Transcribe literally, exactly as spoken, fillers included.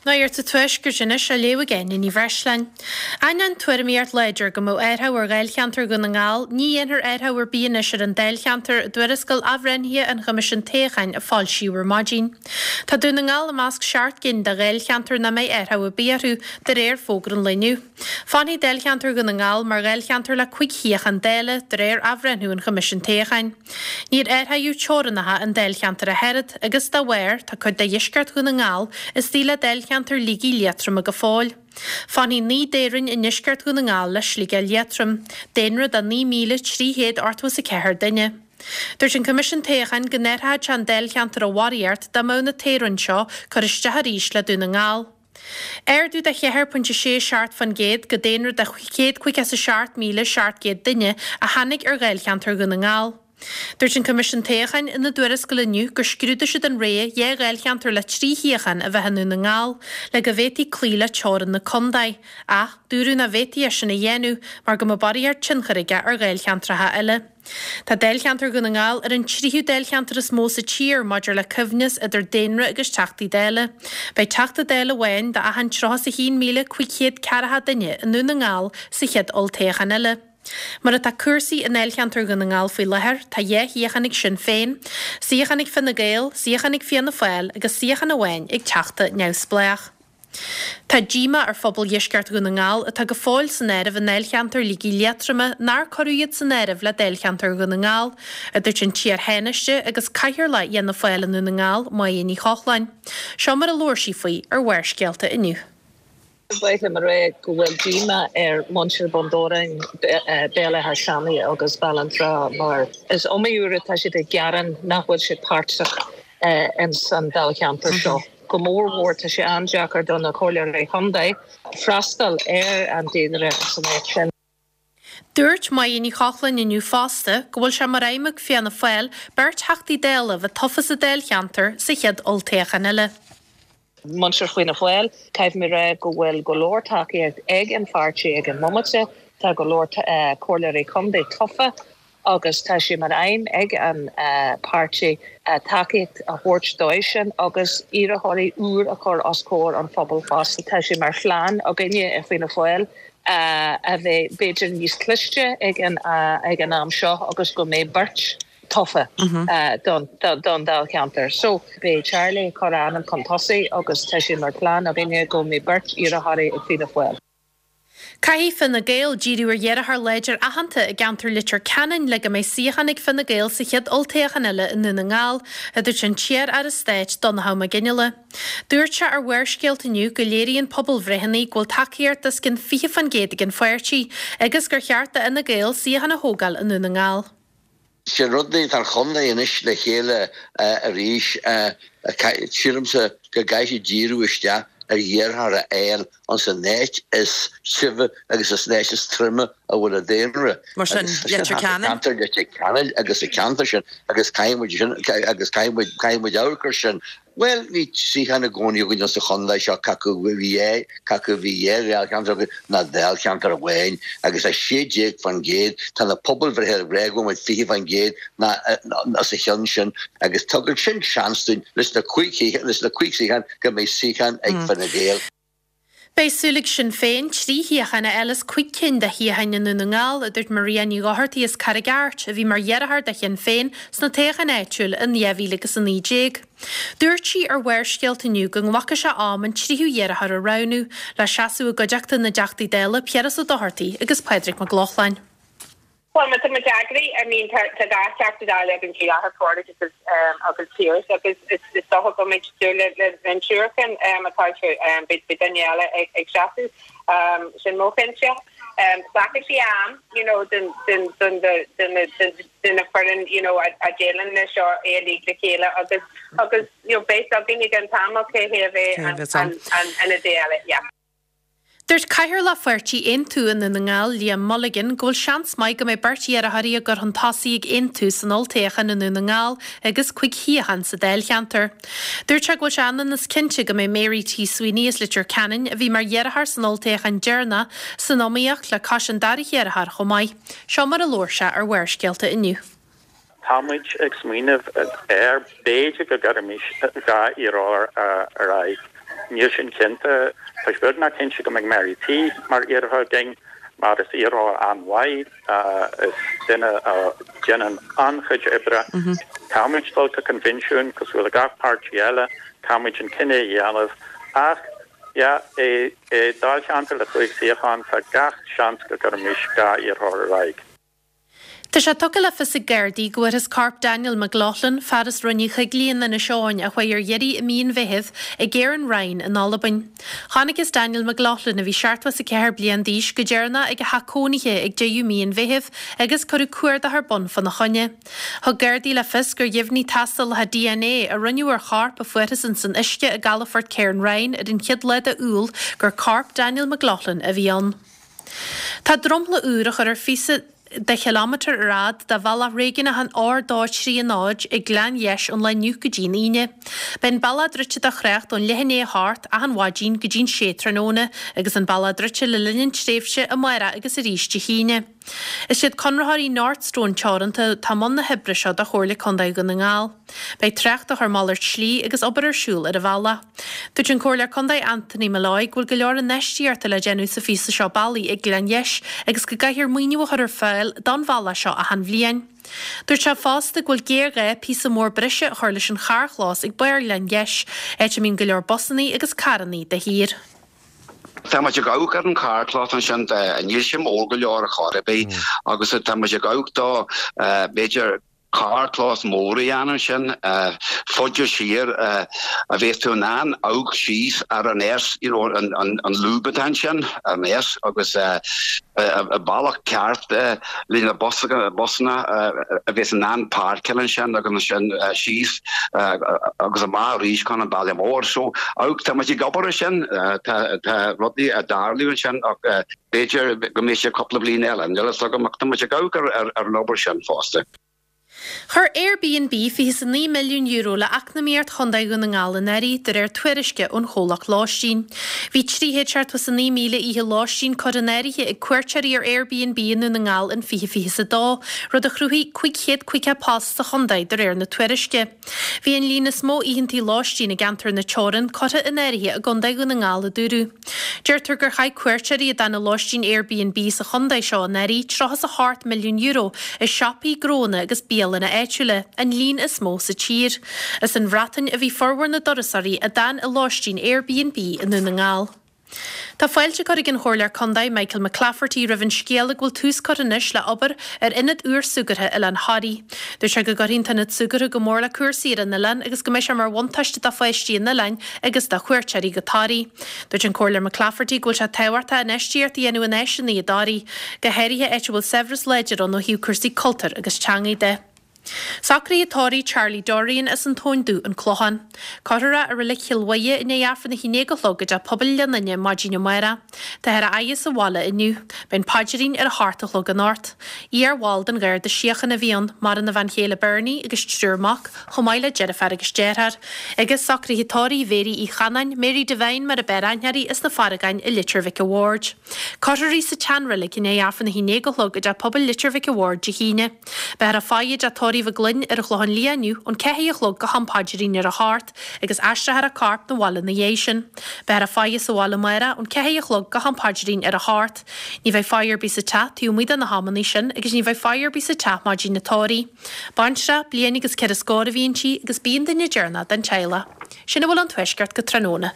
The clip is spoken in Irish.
Nuacht an Tuaiscirt anois á léamh ag Áine Ní Bhreisleáin. Ainneoin tuairimíocht láidir go mbeadh athrú ar Dháilcheantar Dhún na nGall, ní dhéanfar athrú ar bith anois ar an Dáilcheantar i dtuarascáil athbhreithnithe an Choimisiúin Toghcháin a foilsíodh ar maidin. Tá Dún na nGall i measc seacht gcinn de Dháilcheantair nach mbeidh athrú ar bith orthu, de réir fógra an lae inniu. Fanfaidh Dáilcheantar Dhún na nGall mar Dháilcheantar le cúig shuíochán Dála, de réir athbhreithniú an Choimisiúin Toghcháin. Níor athraíodh teorainneacha an Dáilcheantair ach oiread, agus dá bharr, tá cuid de dheisceart Dhún na nGall istigh le Dáilcheantar Shligigh Liatroma go fóill. Fanfaidh naoi dtoghroinn i ndeisceart Dhún na nGall le Sligeach Liatroim, daonra de naoi míle trí chéad ochtó is a ceathair duine. Dúirt an Coimisiún Toghcháin go n-athródh sé an Dáilcheantar a bharraíocht dá mbeadh na toghroinn seo curtha isteach arís le Dún na nGall. Ardú de cheathair pointe sé seacht faoin gcéad go daonra de chéad caoga is a seacht míle seacht gcéad duine a tháinig ar Dháilcheantar Dhún na nGall. Dúirt an Coimisiún Toghcháin ina dtuarascáil inniu gur scrúdaigh siad an rogha dhá Dháilcheantar le trí shuíochán a bheith i nDún na nGall le go bhféadfaí cloí le teorainn na contae, ach dúradh nach bhféadfaí é sin a dhéanamh mar go mbeadh barraíocht tionchair aige ar Dháilcheantracha eile. Tá Dáilcheantar Dhún na nGall ar an tríú dáilcheantar is mó sa tír maidir le coibhneas idir daonra agus Teachtaí Dála. Beidh Teachta Dála amháin do achan tríocha is a haon míle cúig chéad ceathracha duine i nDún na nGall sa chéad olltoghchán eile. Mar atá cúrsaí i ndáilcheantar Dhún na nGall faoi láthair, tá dhá shuíochán ag Sinn Féin, suíochán ag Fine Gael, suíochán ag Fianna Fáil agus suíochán amháin ag Teachta neamhspleách. Tá díomá ar phobal dheisceart Dhún na nGall, atá go fóill san áireamh i ndáilcheantar Shligigh Liatroma, nár cuireadh iad san áireamh le dáilcheantar Dhún na nGall, a dúirt an t-iar-Thánaiste agus Cathaoirleach Fhianna Fáil i nDún na nGall, Máire Ní Chochláin. Seo mar a labhair sí faoi ar Bharrscéalta inniu. Ba mhaith liom a rá go bhfuil díomá ar mhuintir Bhun Dobhráin, Béal Átha Seanaidh agus Béal an Trá mar is iomaí uair atá siad ag gearán nach bhfuil siad páirteach ins an dáilcheantar seo. Go mór mhór tá sé an-deacair do na comhairleoirí chontae freastal ar an daonra san áit sin. Dúirt Máire Ní Chochláin inniu fosta go bhfuil sé mar aidhm ag Fianna Fáil beirt Theachtaí Dála a bheith tofa sa dáilcheantar sa chéad olltoghchán eile. Muintir Fianna Fáil, caithfidh mé a rá go bhfuil go leor tacaíocht ag an pháirtí ag an mbomaite, tá go leor comhairleoirí contae tofa agus tá sé mar aidhm ag an páirtí tacaíocht a thabhairt dóibh sin agus iarrthóirí úr a chur os comhair an phobail fosta. Tá sé mar phlean againne i Fianna Fáil a bheith b'fhéidir níos cliste ag an ag an am seo agus go mbeidh beirt tofa don don dáilcheantar. So beidh Charlie ag cur a ainm chun tosaigh agus tá sé mar phlean againne go mbeidh beirt iarrthóirí ag Fianna Fáil. Caithfidh Fine Gael díriú ar iarrthóir láidir aitheanta i gceantar Leitir Ceanainn le go mbeidh suíochán ag Fine Gael sa chéad olltoghchán eile i nDún na nGall, a dúirt an t-iar-aire stáit Donnchadh Mac Fhionnghaile. Dúirt sé ar Bharrscéalta inniu go léiríonn pobalbhreitheanna go bhfuil tacaíocht os cionn fiche faoin gcéad ag an pháirtí agus gur cheart do Fhine Gael suíochán a thógáil i nDún na nGall. Sin rud tá an chontae anois le chéile arís. Sílimse go gcaithfidh siad díriú isteach ar iarrthóir a fháil ins an áit is tibhe agus is an áit is troime a bhfuil an daonra. Mar sin, Leitir Ceanainn. Ceantar Leitir Ceanainn agus sa cheantar sin agus caithfidh muid sin agus caithfidh muid caithfidh muid amharc air sin. Bhuel, bhí suíochán i gcónaí againn sa chontae seo, cé acu bhí é, cé acu bhí dhá dháilcheantar againn ná dáilcheantar amháin agus a sé déag faoin gcéad, tá na pobalbhreithe ag rá go bhfuil muid fiche faoin gcéad ná os a chionn sin agus tugann sin seans dúinn leis na cúig leis na cúig suíochán go mbeidh suíochán ag Fine Gael. Beidh súil ag Sinn Féin trí shuíochán a fháil as cúig cinn de shuíocháin i nDún na nGall, a dúirt Maria Ní Dhochartaigh as Carraig Airt, a bhí mar iarrthóir do Shinn Féin sna toghcháin áitiúil in dhá mhíle agus a naoi déag. Dúirt sí ar Bharrscéalta inniu go nglacfaidh sé am an tríú iarrthóir a roghnú, le seasamh i gcuideachta na dTeachtaí Dála Piaras Ó Dochartaigh agus Pádraig Mac Lochlainn. Bhuel, má tá muid eagraithe, I mean, tá tá dhá Theachta Dála againn faoi láthair, Pádraig agus um, agus Piaras, agus is, is dócha go mbeidh súil le, le, le an triúr sin um, atá um, beidh, beidh duine eile ag, ag seasamh, um, sin mo chinnte. Um, glacfaidh sé am, you know, den, den, den, den, den, den, den na foireann, you know, a, a déileálann leis seo é uilig le chéile agus, agus, you know, beidh againn ag an t-am cé hé a bheidh Cé an, bheas ann. an, an, an ionadaí eile, yeah. Dúirt Cathaoirleach Pháirtí Aontú i nDún na nGall, Liam Mulligan, go bhfuil seans maith go mbeidh beirt iarrthóirí á gcur chun tosaigh ag Aontú san olltoghchán i Ndún na nGall agus cúig shuíochán sa dáilcheantar. Dúirt sé go bhfuil sé ionann is cinnte go mbeidh Mary T. Sweeney as Leitir Ceanainn, a bhí mar iarrthóir san olltoghchán deireanach, san iomaíocht le cois an dara hiarrthóir chomh maith. Seo mar a labhair sé ar Bharrscéalta inniu. Tá muid ag smaoineamh ar b'fhéidir go gcuirfimis dhá iarrthóir ar aghaidh. Níl sin cinnte. Tá sé beagnach cinnte go mbeidh Mary T mar iarrthóir againn, mar is iarrthóir an-mhaith, is duine a dhéanann an-chuid oibre. Caithfimid dul go coinbhinsiún cosúil le gach páirtí eile, caithfimid an cinneadh a dhéanamh ach, yeah, i dáilcheantar le cúig suíochán tá gach seans go gcuirfimis dhá iarrthóir ar aghaidh. Tá sé tugtha le fios ag Gardaí go bhfuarthas corp Daniel McLaughlin, fear as Rinn Uí Choigligh in Inis Eoghain a chuaigh ar iarraidh i mí an Mheithimh, i gCairn Ryan in Albain. Chonacthas Daniel McLaughlin, a bhí seachtó is a ceathair bliain d'aois, go deireanach ag a theach cónaithe ag deireadh mí an Mheithimh agus cuireadh cuardach ar bun fána choinne. Thug Gardaí le fios gur dheimhnigh tástálacha D N A a rinneadh ar chorp a fuarthas ins an uisce i gcalafort Cairn Ryan ar an chéad lá de Iúil gur corp Daniel McLaughlin a bhí ann. Tá dromchla úr á chur ar phíosa de chileámetar ar fhad de bhealach réigiúnach an R dó trí náid ag Gleann Gheis ón lá inniu go dtí an Aoine. Beidh an bealach druidte do thrácht ón leath i ndiaidh a hocht achan mhaidin go dtí'n sé tráthnóna agus an bealach druidte le linn an tréimhse amárach agus arís Dé hAoine. Is iad conraitheoirí Northstone Teoranta atá i mbun na hoibre seo do Chomhairle Contae Dhún na nGall. Beidh trácht á chur malairt slí agus obair ar siúl ar an bhealach. Dúirt an Comhairleoir Contae Anthony Molloy go bhfuil go leor infheistíochta le déanamh sa phíosa seo bealaigh ag Gleann Gheis agus go gcaithfear maoiniú a chur ar fáil don bhealach seo achan bhliain. Dúirt sé fosta go bhfuil géarghá píosa mór breise a chur leis an charrchlós ag barr Ghleann Gheis, áit a mbíonn go leor busannaí agus carrannaí de shíor. Tá muid ag amharc ar an carrchlós ansin níl sé mór go leor ar chor ar bith agus tá muid ag amharc do b'fhéidir carrchlós mór a dhéanamh sin faide siar a bheas tú in ann amharc síos ar an S you know, an, an, an lúb atá ansin an S agus a bealach ceart le na busanna a bheas in ann páirceáil ansin agus ansin síos agus amach arís chun an baile mór so tá muid ag obair sin tá rudaí ag tarlú ansin ach b'fhéidir go mbeidh sé cúpla bliain eile níl a fhios agam ach tá muid ag amharc ar ar an obair sin fosta. Chuir Airbnb fiche a naoi milliún euro le eacnamaíocht Chontae Dhún na nGall anuraidh de réir tuairisce ón chomhlacht lóistín. Bhí trí chéad seachtó is a naoi míle oíche lóistín curtha in áirithe ag cuairteoirí ar Airbnb i nDún na nGall in fiche fiche a dó, rud a chruthaigh cúig chéad caoga post sa chontae de réir na tuairisce. Bhí an líon is mó oícheantaí lóistín i gceantar na Teorann curtha in áirithe i gContae Dhún na nGall a dúradh. Deirtear gur chaith cuairteoirí a d'fhan i lóistín Airbnb sa chontae seo anuraidh tríocha is a hocht milliún euro i siopaí, gnónna agus bialanna áitiúla, an líon is mó sa tír. As an Bhreatain a bhí formhór na dturasóirí a d'fhan i lóistín Airbnb i nDún na nGall. Tá fáilte curtha ag an Chomhairleoir Contae Michael McClafferty roimh an scéala go bhfuil tús curtha anois le obair ar ionad úr súgartha Oileán Thoraí. Dúirt sé go gcuirfidh an t-ionad súgartha go mór le cúrsaí ar an oileán agus go mbeidh sé mar bhuntáiste do pháistí an oileáin agus do chuairteoirí go Toraigh. Dúirt an Comhairleoir McClafferty go bhfuil sé tábhachtach infheistíocht a dhéanamh in áiseanna i dToraigh, go háirithe áit a bhfuil saibhreas láidir ann ó thaobh cúrsaí cultúir agus teangaidh de. Socruithe tórraimh Charlie Dorian as an Tóin Dubh, An Clochán. Cuirfear é i Reilig Chill Mhuire i ndiaidh Aifreann a haon déag a chlog i dTeach Pobail Ghleann Fhinne maidin amárach. Táthar á fhaire sa bhaile inniu. Beidh an paidrín ar a hocht a chlog anocht. Iar-bhall den Gharda Síochána a bhí ann, maireann a bhean chéile Bernie agus triúr mac, chomh maith le deirfiúr agus deartháir. Agus socruithe tórraimh Mhéirí Uí Chanáin, Mary Devine mar ab fhearr aithne uirthi as na Farragáin i Leitir Mhic a' Bhaird. Cuirfear í sa tseanreilig i ndiaidh Aifreann a haon déag a chlog i dTeach Pobail Leitir Mhic a' Bhaird Dé hAoine. Beifear á faire i dteach tórraimh Mhic Gloinn ar an Chlochán Liath inniu ón ceathair a chlog go ham paidrín ar a hocht agus aistreofar a corp 'na bhaile ina dhiaidh sin. Beifear á faire sa bhaile amárach ón ceathair a chlog go ham paidrín ar a hocht. Ní bheidh faire ar bith sa teach taobh amuigh de na hamanna sin agus ní bheidh faire ar bith sa teach maidin an tórraimh. Baintreach, bliain agus ceithre scór a bhí inti agus b'í an duine deireanach den teaghlach. Sin a bhfuil ón Tuaisceart go tráthnóna.